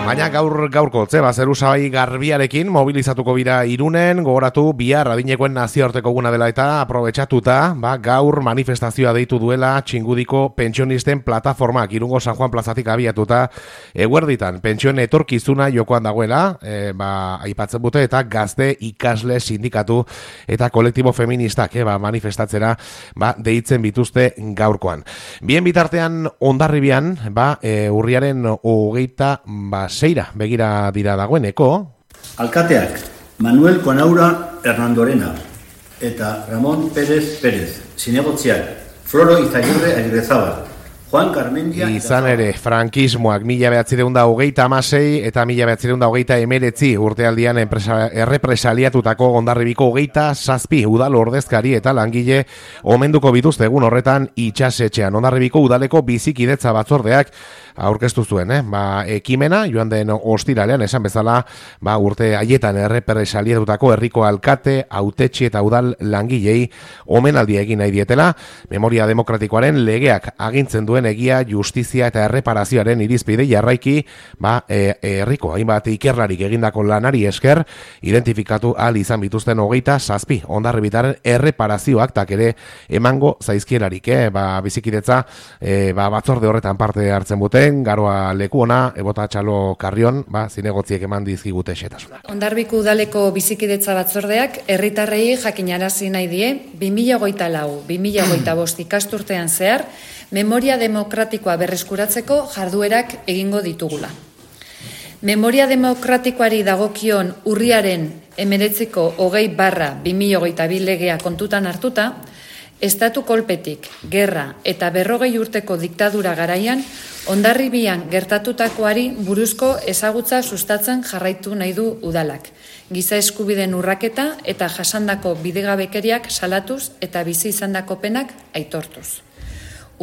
Baina gaurko, zeru sabai garbiarekin mobilizatuko bira Irunen, gogoratu bihar adinekoen nazioarteko eguna dela eta aprobetxatuta, gaur manifestazioa deitu duela Txingudiko pentsionisten plataformak Irungo San Juan plazatik abiatuta eguerditan pentsioen etorkizuna jokoan dagoela, aipatzen dute eta gazte ikasle sindikatu eta kolektibo feministak manifestatzera deitzen bituzte gaurkoan. Bien bitartean Hondarribian, urriaren 26 begira dira dagoeneko. Alkateak Manuel Konaura Hernandorena eta Ramón Pérez Pérez, zinegotziak Floro Izagirre Agirrezabal, Juan Carmendia... Izan ere, frankismoak 1926 eta 1929 urtealdian errepresaliatutako Hondarribiko 27 udal ordezkari eta langile omenduko bituzte egun horretan itxasetxean. Hondarribiko udaleko bizikidetza batzordeak aurkeztu zuen, ekimena joan den ostiralean esan bezala, urte haietan errepresaliatutako herriko alkate, hautetsi eta udal langilei omenaldia egin nahi dietela, memoria demokratikoaren legeak agintzen duen egia, justizia eta erreparazioaren irizpide jarraiki, herriko hainbat ikerlarik egindako lanari esker, identifikatu ahal izan bituzten 27 Hondarribitaren erreparazioak tak ere emango zaizkielarik, bizikidetza batzorde horretan parte hartzen bute, garoa leku ona, ebota txalo karrion, zinegotziek eman dizkigute xetasunak. Hondarribiko udaleko bizikidetza batzordeak herritarrei jakinarazi nahi die 2024-2025 ikasturtean zehar memoria demokratikoa berreskuratzeko jarduerak egingo ditugula. Memoria demokratikoari dagokion urriaren 19/2022 legea kontutan hartuta, estatu kolpetik, gerra eta 40 urteko diktadura garaian Hondarribian gertatutakoari buruzko ezagutza sustatzen jarraitu nahi du udalak. Giza eskubideen urraketa eta jasandako bidegabekeriak salatuz eta bizi izandako penak aitortuz.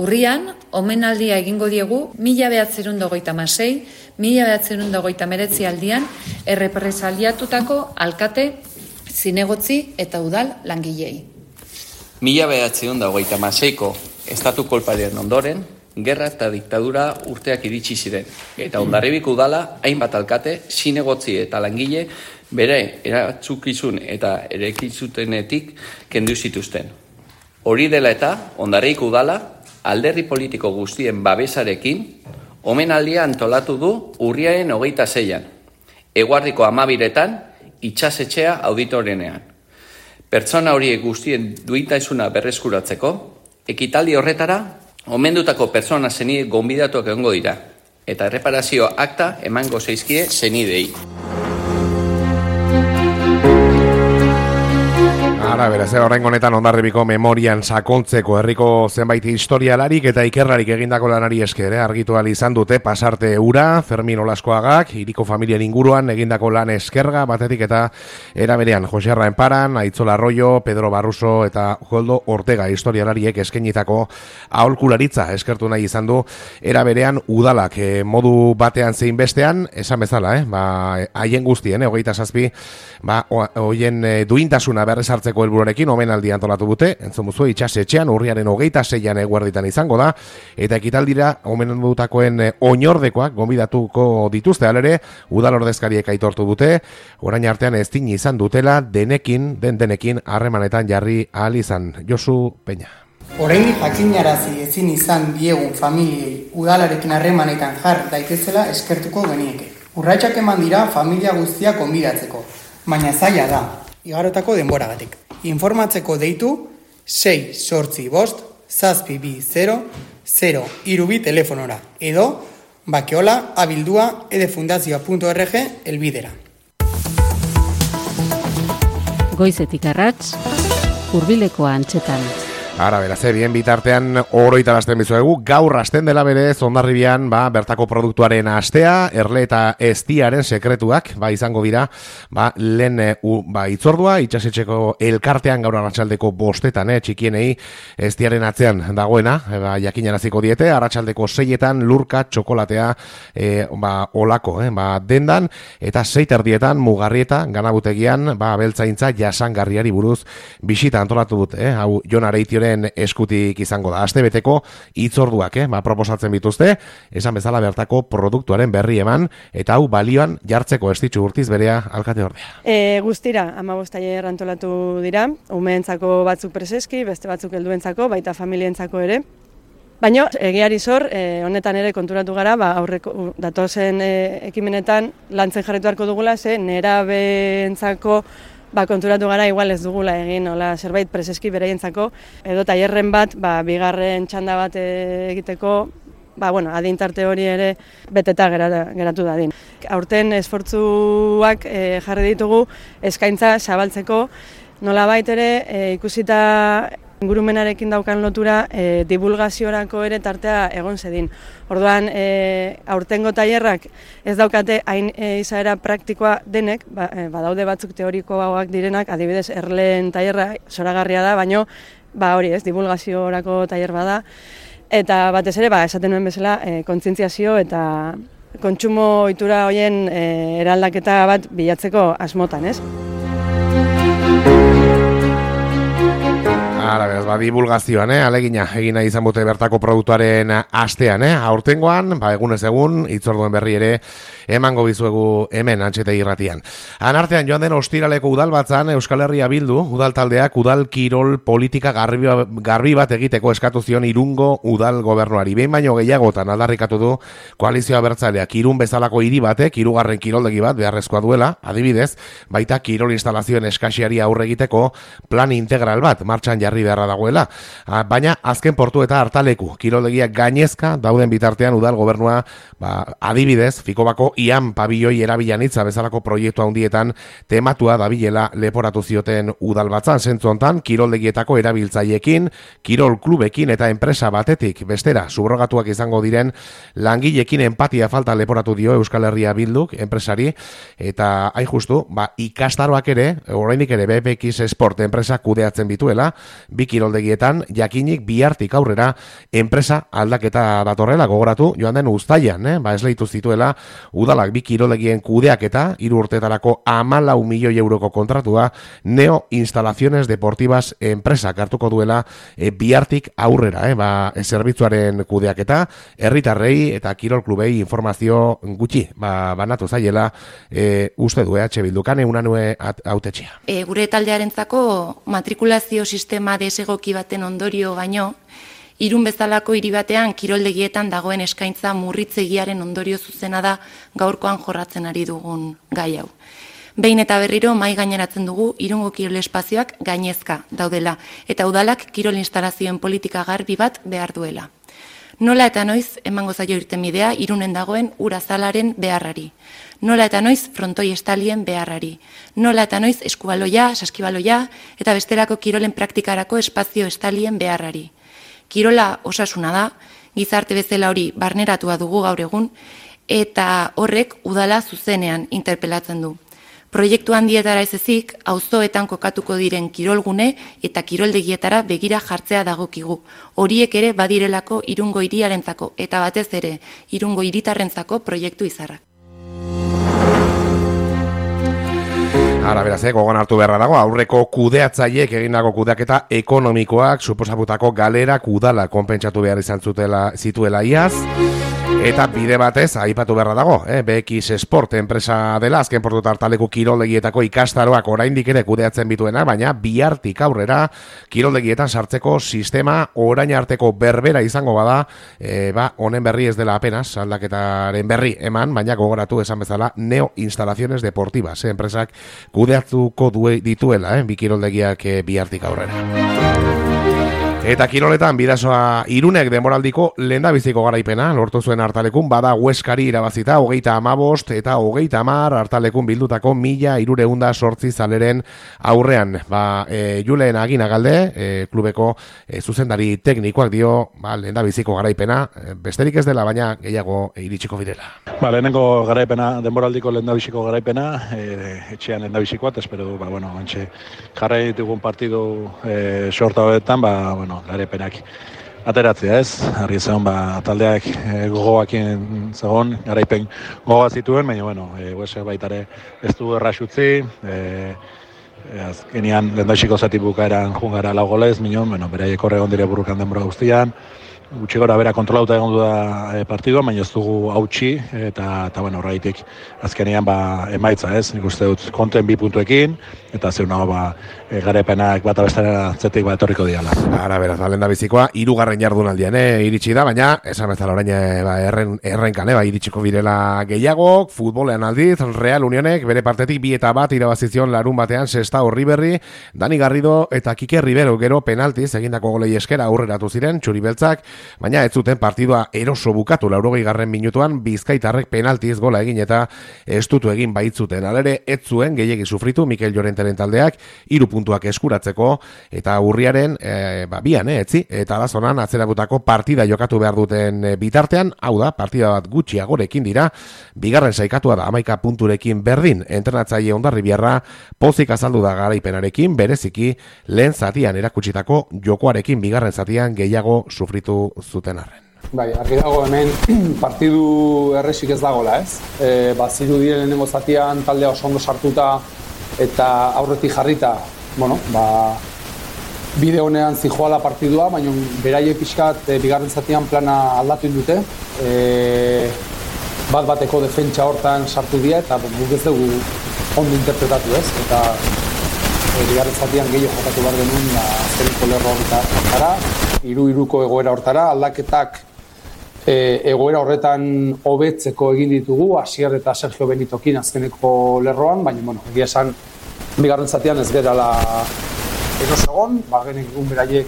Urrian, omenaldia egingo diegu 1926-1929 aldian errepresaliatutako alkate, zinegotzi eta udal langilei. 1926ko estatu kolparen ondoren, gerra eta diktadura urteak iritsi ziren, eta Hondarribiko udala hainbat alkate, zinegotzi eta langile bere eratzukizun eta erekizutenetik kendu zituzten. Hori dela eta Hondarribiko udala alderdi politiko guztien babesarekin omenaldia antolatu du urriaren 26an, eguardiko 12etan itxasetxea auditorenean. Pertsona horiek guztien duintasuna berreskuratzeko, ekitaldi horretara omendutako pertsona zenide gonbidatuak egongo dira, eta erreparazio akta emango zaizkie zenidei. Beraz, orain honetan Hondarribiko memorian sakontzeko herriko zenbait historialarik eta ikerlarik egindako lanari esker, argitu ahal izan dute pasarte ura, Fermin Olaskoagak, hiriko familien inguruan egindako lan eskerga batetik eta era berean Jose Arraenparan, Aitzola Arroyo, Pedro Barruso eta Joldo Ortega historialariek eskenitako aholkularitza eskertu nahi izan du era berean udalak modu batean zein bestean, esan bezala, haien guztien, 27, hoien duintasuna berrezartzeko helburuarekin omenaldi antolatu dute, entzun muzue itxasetxean urriaren 26an eguerditan izango da, eta ekitaldira omenaldutakoen oinordekoak gonbidatuko dituzte alere, udal ordezkariek aitortu dute, orain artean ezin izan dutela denekin harremanetan jarri ahal izan. Josu Peña. Oraindik jakinarazi ezin izan diegun familiei udalarekin harremanetan jar daitezela eskertuko genieke. Urratsak eman dira familia guztiak gonbidatzeko, baina zaila da, igarotako denboragatik. Informatzeko deitu 6-8-5-0-0-0 telefonora edo bakeola abildua edefundazioa.org elbidera. Goizetik arrats, hurbileko antxetan. Beraz, bien bitartean oroitarazten bizuegu, gaur hasten dela berez Hondarribian, bertako produktuaren astea, erle eta eztiaren sekretuak, izango dira, lehen itzordua, itxasetxeko elkartean gaur arratsaldeko 5 txikienei eztiaren atzean dagoena, jakinaraziko diete, arratsaldeko 6etan lurka txokolatea olako, dendan, eta 6 mugarrieta, ganabutegian, beltzaintza jasangarriari buruz bisita antolatu dute, hau Jon Areitioren Klubaren eskutik izango da. Astebeteko hitzorduak, proposatzen bituzte, esan bezala bertako produktuaren berri eman, eta hau balioan jartzeko Estitxu Urtiz berea alkate ordea. Guztira, 15 tailer antolatu dira, umeentzako batzuk preseski, beste batzuk helduentzako, baita familientzako ere. Baina, egiari zor, honetan ere konturatu gara, aurreko datozen ekimenetan lantzen jarretu beharko dugula, ze nerabeentzako konturatu gara igual ez dugula egin, zerbait preseski beraientzako, edo tailerren bat, bigarren txanda bat egiteko, adintarte hori ere beteta geratu dadin. Aurten esfortzuak jarri ditugu eskaintza zabaltzeko, nolabait ere ikusita ingurumenarekin daukan lotura divulgaziorako ere tartea egon zedin. Orduan, aurtengo tailerrak ez daukate hain izaera praktikoa denek, badaude batzuk teorikoak direnak, adibidez Erleen tailerra zoragarria da, baino hori ez, divulgaziorako tailer bada. Eta batez ere, esaten nuen bezala, kontzientziazio eta kontsumo ohitura horien eraldaketa bat bilatzeko asmotan, ez? Ara, beraz, divulgazioan, alegina, egina izan bute bertako produktuaren astean, aurtengoan, egunez egun, hitzorduen berri ere, emango bizuegu hemen antxete irratian. Anartean joan den ostiraleko udalbatzan, Euskal Herria Bildu, udal taldeak, udal kirol politika garbi bat egiteko eskatu zion Irungo udal gobernuari. Behin baino gehiagotan aldarrikatu du koalizioa bertzaleak Irun bezalako hiri batek, hirugarren kiroldegi bat beharrezkoa duela, adibidez, baita kirol instalazioen eskasiari aurre egiteko plan integral bat, martxan jarri beharra dagoela. Baina azken portu eta hartaleku kiroldegiak gainezka dauden bitartean udal gobernua adibidez Fikobako ian pabioi erabilan hitza bezalako proiektu handietan tematua dabilela leporatu zioten udalbatzan. Zentzu hontan kiroldegietako erabiltzaileekin, kirol klubekin eta enpresa batetik bestera subrogatuak izango diren langileekin empatia falta leporatu dio Euskal Herria Bilduk enpresari, eta hain justu ikastaroak ere, oraindik ere BPX Sport enpresa kudeatzen bituela, bi kiroldegietan jakinik bihartik aurrera enpresa aldaketa datorrela gogoratu joan den uztailan, esleitu zituela udalak bi kiroldegien kudeaketa 3 urteetarako 14 milioi euroko kontratua Neo Instalaciones Deportivas enpresa hartuko duela bihartik aurrera, zerbitzuaren kudeaketa herritarrei eta kirol klubei informazio gutxi banatu zaiela uste du EH Bildukan Unanue hautetxea. Gure taldearentzako matrikulazio sistema desegoki baten ondorio baino, Irun bezalako hiri batean kiroldegietan dagoen eskaintza murritzegiaren ondorio zuzena da gaurkoan jorratzen ari dugun gai hau. Behin eta berriro mahai gaineratzen dugu Irungo kirol espazioak gainezka daudela eta udalak kirol instalazioen politika garbi bat behar duela. Nola eta noiz emango zaio irtenbidea Irunen dagoen urazalaren beharrari. Nola eta noiz frontoi estalien beharrari. Nola eta noiz eskubaloia, saskibaloia eta bestelako kirolen praktikarako espazio estalien beharrari. Kirola osasuna da, gizarte bezala hori barneratua dugu gaur egun, eta horrek udala zuzenean interpelatzen du. Proiektu handietara ez ezik, auzoetan kokatuko diren kirolgune eta kiroldegietara begira jartzea dagokigu. Horiek ere badirelako Irungo hiriarentzako eta batez ere Irungo hiritarrentzako proiektu izarrak. Ara, beraz, gogoan hartu beharra dago, aurreko kudeatzaileek egindako kudeaketa ekonomikoak suposatutako galerak udala konpentsatu behar izan zituela iaz, eta bide batez, aipatu beharra dago, BX Sport enpresa dela, azken portu hartaleku kiroldegietako ikastaroak oraindik ere kudeatzen bituena, baina bihartik aurrera kiroldegietan sartzeko sistema orain arteko berbera izango bada, honen berri ez dela apenas, aldaketaren berri eman, baina gogoratu esan bezala Neo Instalaciones Deportivas, enpresak kudeatuko dituela, bi kiroldegiak bihartik aurrera. Eta kiroletan bidasoa Irunek denboraldiko lehendabiziko garaipena lortu zuen hartalekun, bada Hueskari irabazita 35 eta 30 hartalekun bildutako 1308 zaleren aurrean. Julen Aginagalde, klubeko zuzendari teknikoak dio lehendabiziko garaipena, besterik ez dela, baina gehiago iritsiko direla. Lehenengo garaipena, denboraldiko lehendabiziko garaipena, etxean lehendabizikoat, espero du, antxe jarrai ditugun partidu sorta hoetan, garaipenak ateratzea ez, argi zegoen taldeak gogoakin zegoen, garaipen gogoa zituen, baina Huesek baitare ez du erraxutzi, azkenean lehendabiziko zati bukaeran jungara 4 golez, minon, beraiek horre egon dire burrukan denbora guztian, gutxi gora bera kontrolauta egon du da partidua, baina ez dugu hautsi, eta horreitik azkenean emaitza, ez? Nik uste dut konten 2 puntuekin, eta zeuna garaipenak bat abestaren atzetik etorriko diala. Ara, beraz, lehen da bizikoa, 3. jardunaldian, iritsi da, baina, esan bezala orain errenkan, iritsiko birela gehiagok, futbolean aldiz, Real Unionek, bere partetik 2-1 irabazizion larun batean, Sestao Riberri, Dani Garrido eta Kike Rivero gero penaltiz, egindako golei eskera aurreratu ziren, txuri-beltzak, baina ez zuten partidua eroso bukatu 80. minutuan, Bizkaitarrek penaltiz gola egin eta estutu egin baitzuten. Alere, ez zuen gehiegi sufritu Mikel Llorenteren taldeak 3 puntuak eskuratzeko, eta urriaren bian, etzi, eta bazonan atzeratutako partida jokatu behar duten bitartean, hau da, partida bat gutxiagorekin dira, bigarren saikatua da 11 punturekin berdin, entrenatzaile Hondarribiarra pozik azaldu da garaipenarekin, bereziki lehen zatian erakutsitako jokoarekin bigarren zatian gehiago sufritu zuten arren. Bai, argi dago hemen partidu erresik ez dagoela, ez? Zirudien lehenengo zatian taldea oso ondo sartuta eta aurretik jarrita, bide honean zijoala partidua, baina beraiek pixkat bigarren zatian plana aldatu dute. Bat-bateko defentsa hortan sartu dira eta guk ez dugu ondo interpretatu, ez? Eta bigarren zatian gehiago jokatu behar genuen azkeneko lerro hortara, 3-3ko egoera hortara, aldaketak egoera horretan hobetzeko egin ditugu, Asier eta Sergio Benitokin azkeneko lerroan, baina, egia esan, bigarren zatian ez gerala eros egon, genekin beraiek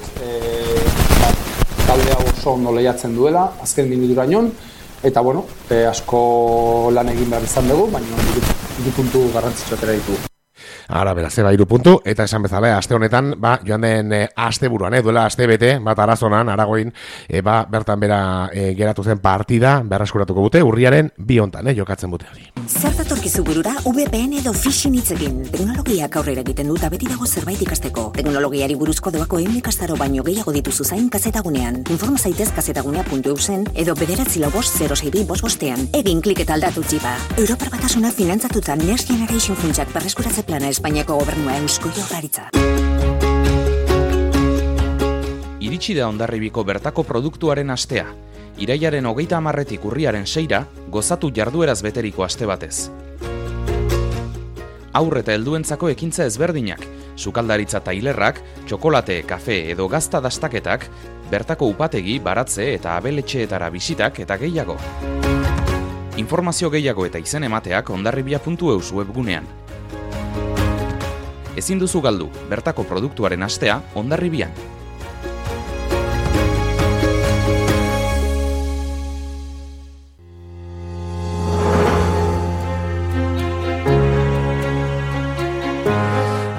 taldea oso ondo lehiatzen duela, azken minuturaino, eta, asko lan egin behar izan dugu, baina 2 puntu garrantzitsu atera ditugu. Ara, beraz, 3 puntu, eta esan bezala, aste honetan, joan den aste buruan, duela aste bete, bat Arazonan, Aragoin, bertan bera geratu zen partida, berreskuratuko bute, urriaren 2 hontan, jokatzen bute hori. Zer datorkizu burura VPN edo phishing hitzekin. Teknologiak aurrera egiten dut, beti dago zerbait ikasteko. Teknologiari buruzko doako ikastaro baino gehiago dituzu zain kazetagunean. Informa zaitez kazetagunea.eusen edo 945-062-5. Egin klik eta aldatu txipa. Europar Batasuna finantzatuta Next Generation funtsak berreskuratze plana Espainiako gobernua Eusko Jaurlaritza. Iritsi da Hondarribiko bertako produktuaren astea. Irailaren 30-tik urriaren 6-ra, gozatu jardueraz beteriko aste batez. Haur eta helduentzako ekintza ezberdinak, sukaldaritza tailerrak, txokolate, kafe edo gazta dastaketak, bertako upategi, baratze eta abeletxeetara bisitak eta gehiago. Informazio gehiago eta izen emateak hondarribia.eus webgunean. Ezin duzu galdu, bertako produktuaren astea Hondarribian.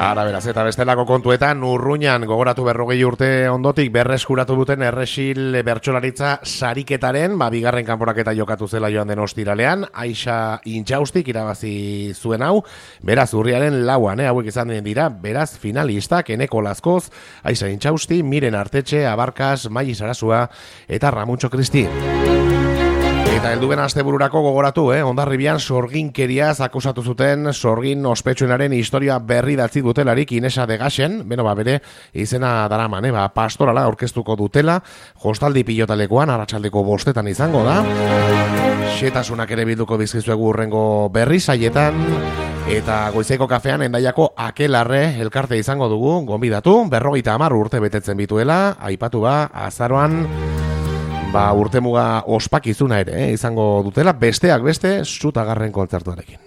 Ara, beraz, eta bestelako kontuetan, Urruñan gogoratu 40 urte ondotik berreskuratu duten Erresil bertsolaritza sariketaren, bigarren kanporaketa jokatu zela joan den ostiralean, Aixa Intxaustik irabazi zuen hau, beraz, urriaren 4, hauek izan dira, beraz, finalistak, Eneko Lazkoz, Aixa Intxausti, Miren Artetxe, Abarkas, Mai Sarasua eta Ramuntxo Kristi. Eta helduben astebururako gogoratu, Hondarribian sorginkeriaz akusatu zuten sorgin ospetsuenaren historia berri datzi dutelarik Inesa de Gaxen, bere izena daraman, pastorala aurkeztuko dutela, jostaldi pilotalekoan, arratsaldeko 5 izango da, xetasunak ere bilduko bizkizuegu urrengo berri saietan, eta goizeko kafean Hendaiako Akelarre elkarte izango dugu, gonbidatu, 50 urte betetzen bituela, aipatu azaroan, urtemuga ospakizuna ere izango dutela, besteak beste, Zutagarren kontzertuarekin.